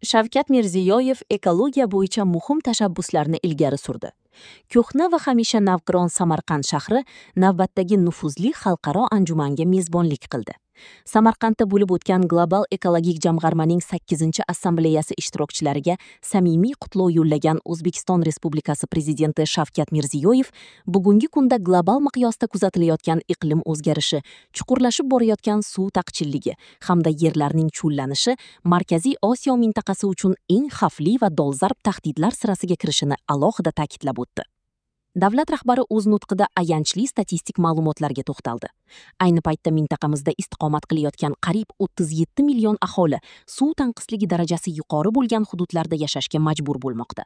Shavkat Mirziyoyev ekologiya bo'yicha muhim tashabbuslarni ilgari surdi. Ko'hna va hamisha navqiron Samarqand shahri navbatdagi nufuzli xalqaro anjumanga mezbonlik qildi. Samarqandda bo'lib o'tgan Global ekologik jamg'armaning 8-assambleyasi ishtirokchilariga samimiy qutlov yo'llagan O'zbekiston Respublikasi prezidenti Shavkat Mirziyoyev bugungi kunda global miqyosda kuzatilayotgan iqlim o'zgarishi, chuqurlashib borayotgan suv taqchilligi hamda yerlarning cho'llanishi Markaziy Osiyo mintaqasi uchun eng xavfli va dolzarb tahdidlar sirasiga kirishini alohida ta'kidlab o'tdi. Davlat rahbari o'z nutqida ayanchli statistik ma'lumotlarga to'xtaldi. Ayni paytda mintaqamizda istiqomat qilayotgan qariyb 37 million aholi suv tanqisligi darajasi yuqori bo'lgan hududlarda yashashga majbur bo'lmoqda.